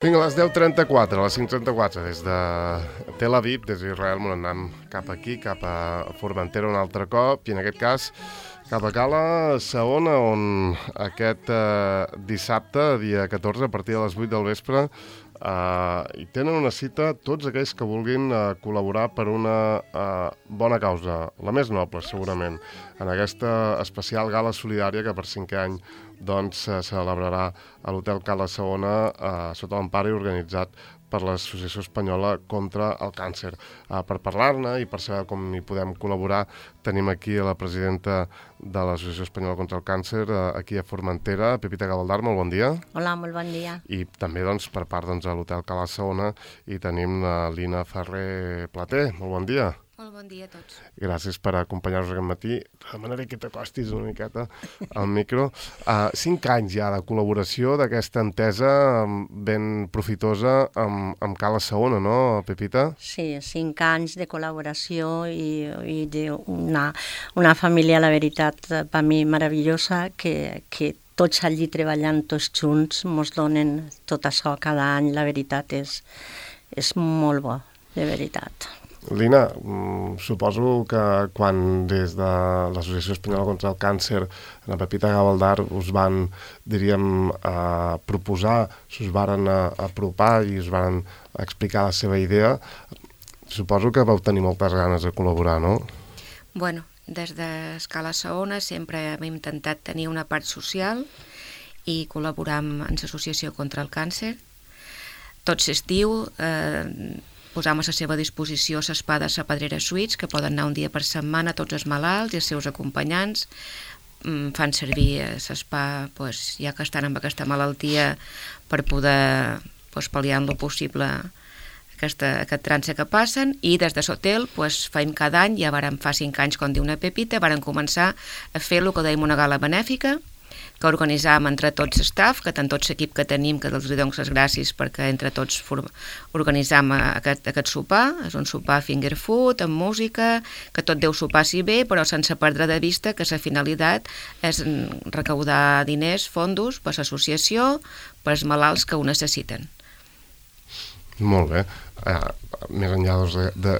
Vinga, a les 10:34, a les 5:34, des de Tel Aviv, des d'Israel, anem cap aquí, cap a Formentera un altre cop, i en aquest cas cap a Cala Saona, on aquest dissabte, dia 14, a partir de les 8 del vespre, hi tenen una cita tots aquells que vulguin col·laborar per una bona causa, la més noble, segurament, en aquesta especial gala solidària que per 5è any doncs se celebrarà a l'Hotel Cala Saona sota l'empara i organitzat per l'Associació Espanyola contra el Càncer. Per parlar-ne i per saber com hi podem col·laborar, tenim aquí a la presidenta de l'Associació Espanyola contra el Càncer, aquí a Formentera, Pepita Gavaldar, molt bon dia. Hola, molt bon dia. I també doncs, per part de l'Hotel Cala Saona hi tenim Lina Ferrer Plater, molt bon dia. Molt bon dia a tots. Gràcies per acompanyar-nos aquest matí. Demanaré que t'acostis una miqueta al micro. 5 anys ja de col·laboració d'aquesta entesa ben profitosa amb Cala Saona, no, Pepita? Sí, 5 anys de col·laboració i d'una família, la veritat, per mi meravellosa, que tots allí treballant, tots junts, ens donen tot això cada any. La veritat és molt bo, de veritat. Lina, suposo que quan des de l'Associació Espanyola contra el Càncer, la Pepita Gavaldar, us van, diríem, proposar, us varen apropar i us varen explicar la seva idea, suposo que vau tenir moltes ganes de col·laborar, no? Bueno, des d'Escala Saona sempre hem intentat tenir una part social i col·laborar amb l'Associació contra el Càncer. Tot l'estiu posam a la seva disposició l'Espa de la Pedrera Suites, que poden anar un dia per setmana tots els malalts i els seus acompanyants. Fan servir l'Espa, ja que estan amb aquesta malaltia, per poder pal·liar en lo possible aquest trànsit que passen, i des de l'hotel fem cada any, ja fa 5 anys, com diu una Pepita, varen començar a fer el que dèiem una gala benèfica, que organitzàvem entre tots l'estaf, que tant tot l'equip que tenim, que els donem les gràcies perquè entre tots organitzam aquest sopar. És un sopar finger food, amb música, que tot deu sopar-s'hi bé, però sense perdre de vista que la finalitat és recaudar diners, fondos, per l'associació, per als malalts que ho necessiten. Molt bé. Més enllà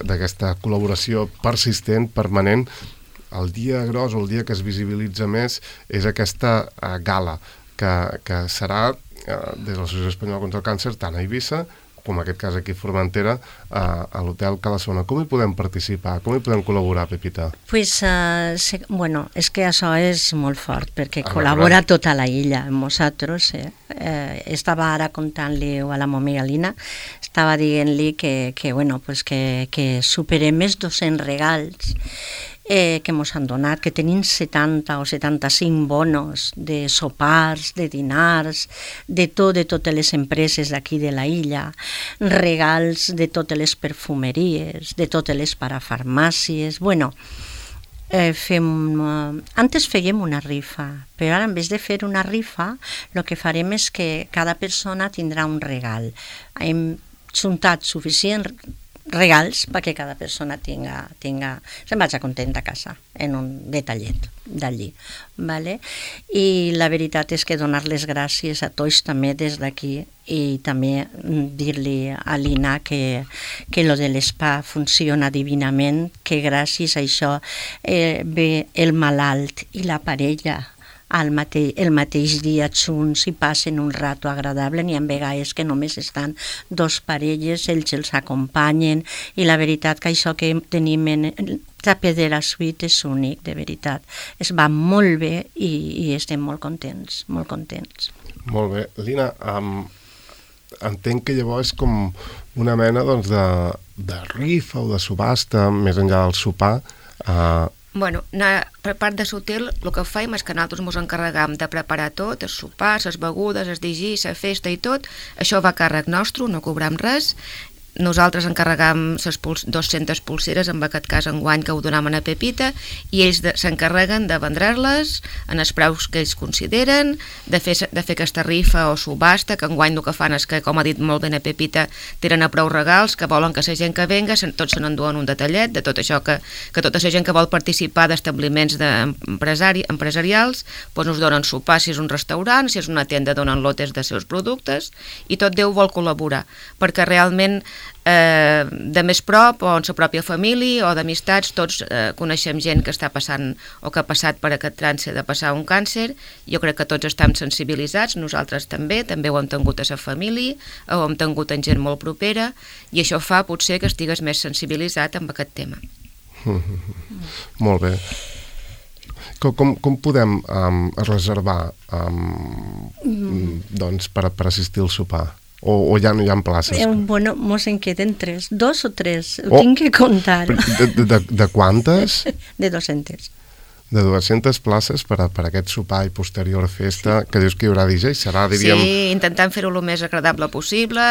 d'aquesta col·laboració persistent, permanent, el dia gros o el dia que es visibilitza més és aquesta gala que serà des de l'Associació Espanyola contra el Càncer tant a Eivissa com en aquest cas aquí a Formentera, a l'Hotel Cala Saona. Com hi podem participar? Com hi podem col·laborar, Pepita? Bueno, és que això és molt fort, perquè col·labora tota la illa amb nosaltres. Estava ara contant-li a la meva Lina, estava dient-li que superem més 200 regals que ens han donat, que tenim 70 o 75 bonos de sopars, de dinars, de totes les empreses d'aquí de la illa, regals de totes les perfumeries, de totes les parafarmàcies. Antes fèiem una rifa, però ara en vez de fer una rifa, el que farem és que cada persona tindrà un regal. Hem juntat suficient regals perquè cada persona se'n vagi contenta a casa en un detallet d'allí, vale? I la veritat és que donar les gràcies a tots també des d'aquí i també dir-li a l'Ina que lo de l'Espa funciona divinament, que gràcies a això ve el malalt i la parella el mateix dia junts i passen un rato agradable. N'hi ha vegades que només estan 2 parelles, ells els acompanyen, i la veritat que això que tenim en la Pedrera Suite és únic, de veritat. Es va molt bé i estem molt contents, molt contents. Molt bé. Lina, entenc que llavors és com una mena de rifa o de subhasta, més enllà del sopar. Bueno, per part de l'hotel el que fem és que nosaltres ens encarregam de preparar tot, els sopars, les begudes, els digis, la festa i tot. Això va a càrrec nostre, no cobrem res. nosaltres encarregam 200 pulseres, en aquest cas enguany que ho donaven a Pepita, i ells s'encarreguen de vendre-les en els preus que ells consideren, de fer aquesta rifa o subhasta, que enguany el que fan és que, com ha dit molt bé a Pepita, tiren a prou regals, que volen que la gent que venga, tots se n'enduen un detallet de tot això, que tota la gent que vol participar d'establiments empresarials, doncs us donen sopar si és un restaurant, si és una tenda donen lotes de seus productes, i tot Déu vol col·laborar, perquè realment de més prop o en la pròpia família o d'amistats, tots coneixem gent que està passant o que ha passat per aquest trànsit de passar un càncer. Jo crec que tots estem sensibilitzats, nosaltres també ho hem tingut a la família, ho hem tingut en gent molt propera, i això fa potser que estigues més sensibilitzat amb aquest tema. Molt bé. Com podem reservar doncs, per assistir al sopar? O ja no hi ha places? Bueno, mos en queden 3, 2 o 3, ho tinc que comptar. De quantes? De 200. De 200 places per aquest sopar i posterior festa, que dius que hi haurà DJ, serà, diríem... Sí, intentant fer-ho el més agradable possible.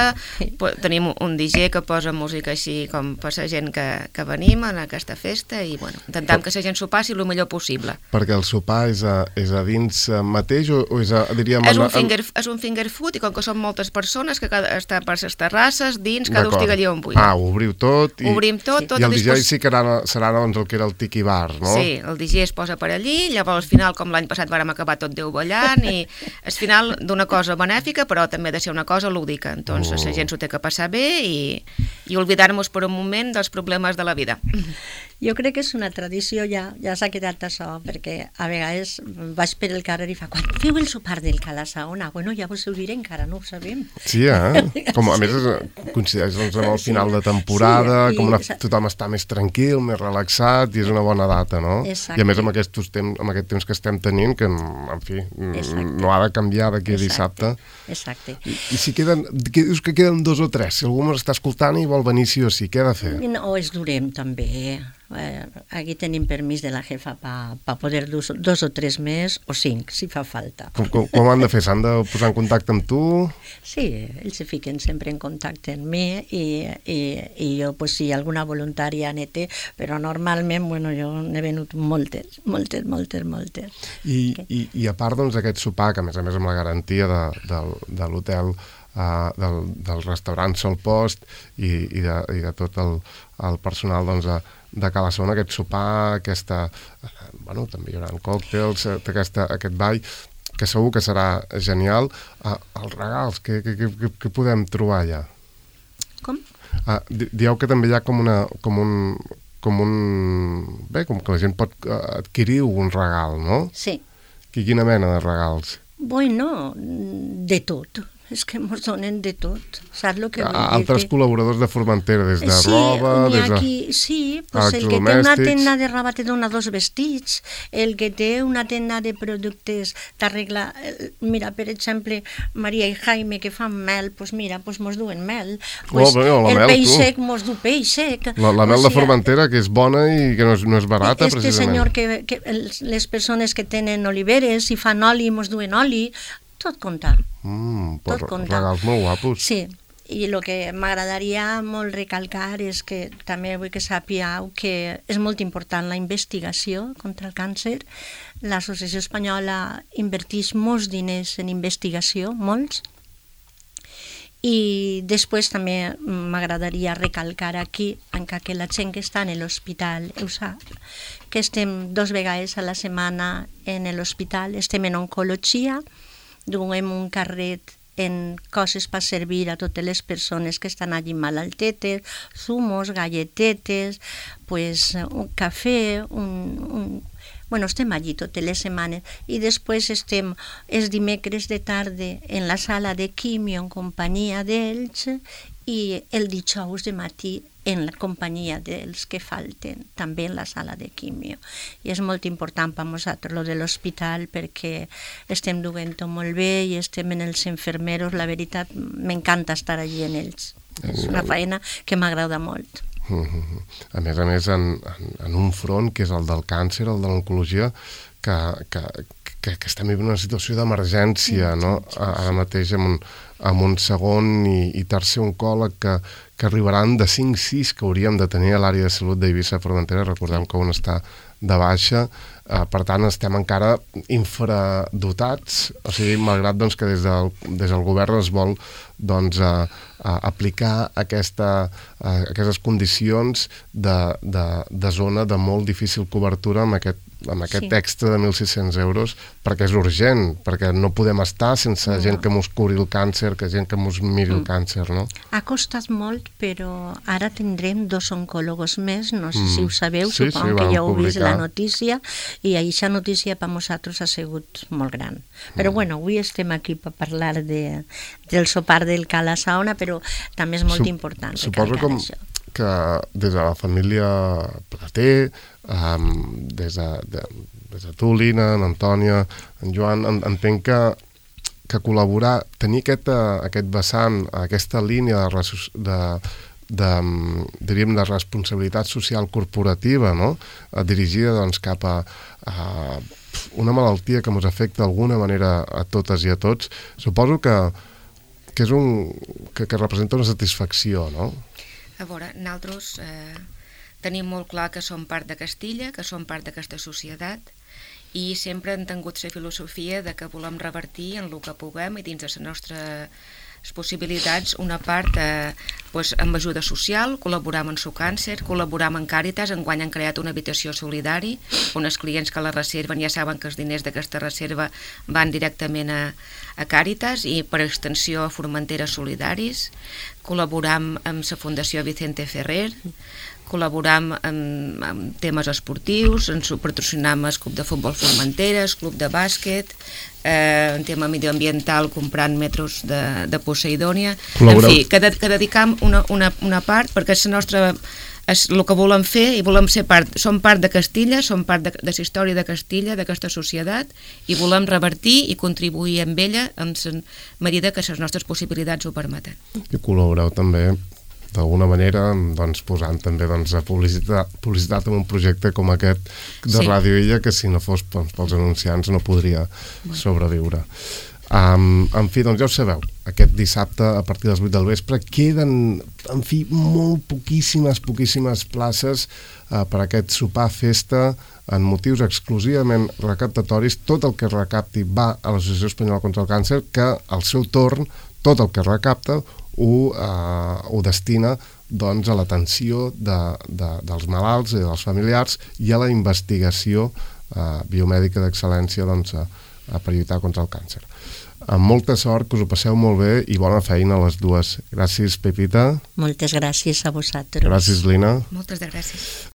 Tenim un DJ que posa música així com per la gent que venim en aquesta festa, i bueno, intentant que la gent s'ho passi el millor possible. Perquè el sopar és a dins mateix o és a, diríem... És un finger food, i com que són moltes persones que està per les terrasses, dins, cada un estigui allà on vulgui. Ho obriu tot. Obrim tot i el DJ sí que serà doncs, el que era el tiki bar, no? Sí, el DJ es posa per allí, llavors al final, com l'any passat vàrem acabar tot Déu ballant, i al final d'una cosa benèfica, però també ha de ser una cosa lúdica, entonces la gent s'ho té que passar bé i oblidar-nos per un moment dels problemes de la vida. Jo crec que és una tradició, ja s'ha quedat això, perquè a vegades vaig per el carrer i fa, quan feu el sopar del Cala-Saona? Bueno, ja vos ho diré, encara no ho sabem. Sí, com a més coincideix amb el final de temporada, com tothom està més tranquil, més relaxat, i és una bona data, no? Exacte. I a més amb aquest temps que estem tenint, que en fi, no ha de canviar d'aquí a dissabte. Exacte. I si dius que queden 2 o 3, si algú m'està escoltant i vol venir sí o sí, què ha de fer? No, es durem també. Aquí tenim permís de la jefa per poder 2 o 3 més o 5, si fa falta. Com han de fer? S'han de posar en contacte amb tu? Sí, ells se fiquen sempre en contacte amb mi i jo, pues, si alguna voluntària ne té, però normalment, bueno, jo n'he venut moltes. I a part, doncs, aquest sopar, que a més amb la garantia de l'hotel, del restaurant Sol Post i de tot el personal, doncs, de Cala-Saona, aquest sopar, bueno, també hi haurà còctels, aquest ball, que segur que serà genial. Els regals, què podem trobar allà? Com? Dieu que també hi ha com que la gent pot adquirir un regal, no? Sí. Quina mena de regals? Bueno, de tot. És que ens donen de tot, saps el que vull dir? Altres col·laboradors de Formentera, des de roba, des de... Sí, pues el que té una tenda de roba te dona 2 vestits, el que té una tenda de productes t'arregla... Mira, per exemple, Maria i Jaime, que fan mel, pues mira, pues mos duen mel. Pues el peix sec mos du peix sec. La mel de Formentera, que és bona i que no és barata, precisament. Senyor, les persones que tenen oliveres i fan oli, mos duen oli, tot compta. Tot compta. Regals molt guapos. Sí, i el que m'agradaria molt recalcar és que també vull que sàpieu que és molt important la investigació contra el càncer. L'Associació Espanyola inverteix molts diners en investigació, molts, i després també m'agradaria recalcar aquí, encara que la gent que està en l'hospital ho sap, que estem 2 vegades a la setmana en l'hospital, estem en oncologia, duem un carret en coses per servir a totes les persones que estan allí malaltetes, zumos, galletetes, pues, un cafè, Bueno, estem allí totes les setmanes i després estem els dimecres de tarda en la sala de quimio en companyia d'ells i el dijous de matí en la companyia dels que falten, també en la sala de quimio. I és molt important per nosaltres lo de l'hospital perquè estem duent-ho molt bé i estem en els infermeros, la veritat m'encanta estar allí en ells. És una feina que m'agrada molt. A més, en un front que és el del càncer, el de l'oncologia, que estem vivint una situació d'emergència, no? Ara mateix amb amb un segon i tercer oncòleg que arribaran de 5-6 que hauríem de tenir a l'àrea de salut d'Eivissa i Formentera. Recordem que un està de baixa, per tant estem encara infradotats, o sigui, malgrat doncs, que des del govern es vol doncs, aplicar aquestes condicions de zona de molt difícil cobertura amb aquest extra de 1.600 euros, perquè és urgent, perquè no podem estar sense gent que mos curi el càncer, que gent que mos miri el càncer, no? Ha costat molt, però ara tindrem 2 oncòlogos més, no sé si ho sabeu, supongo que ja heu vist la notícia, i aquesta notícia per nosaltres ha sigut molt gran. Però bueno, avui estem aquí per parlar del sopar del Cala Saona, però també és molt important recalcar això. Que des de la família Plater, des de tu, Lina, en Antònia, en Joan, entenc que col·laborar, tenir aquest vessant, aquesta línia de responsabilitat social corporativa, no? Dirigida doncs, cap a una malaltia que ens afecta d'alguna manera a totes i a tots, suposo que representa una satisfacció, no? A veure, nosaltres tenim molt clar que som part de Castilla, que som part d'aquesta societat, i sempre hem tingut la filosofia de que volem revertir en el que puguem i dins de les nostres possibilitats una part amb ajuda social, col·laborar amb el càncer, col·laborar amb Càritas. Enguany han creat una habitació solidari on els clients que la reserven ja saben que els diners d'aquesta reserva van directament a Càritas i per extensió a Formentera Solidaris. Col·laboram amb la Fundació Vicente Ferrer, col·laboram en temes esportius, ens patrocinem el Club de Futbol Formentera, el Club de Bàsquet, en tema medioambiental comprant metros de Poseidònia. En fi, que dedicam una part, perquè és el que volem fer i volem ser part. Som part de Castilla, som part de la història de Castilla, d'aquesta societat, i volem revertir i contribuir amb ella en la medida que les nostres possibilitats ho permeten. I col·laboreu també d'alguna manera, doncs, posant també publicitat en un projecte com aquest de Ràdio Illa, que si no fos pels anunciants no podria sobreviure. En fi, doncs ja ho sabeu, aquest dissabte a partir de les 8 del vespre queden, en fi, molt poquíssimes places per aquest sopar festa en motius exclusivament recaptatoris. Tot el que es recapti va a l'Associació Espanyola contra el Càncer, que al seu torn tot el que recapta ho destina doncs, a l'atenció dels malalts i dels familiars i a la investigació biomèdica d'excel·lència doncs, per lluitar contra el càncer. Amb molta sort, que us ho passeu molt bé i bona feina a les dues. Gràcies, Pepita. Moltes gràcies a vosaltres. Gràcies, Lina. Moltes gràcies.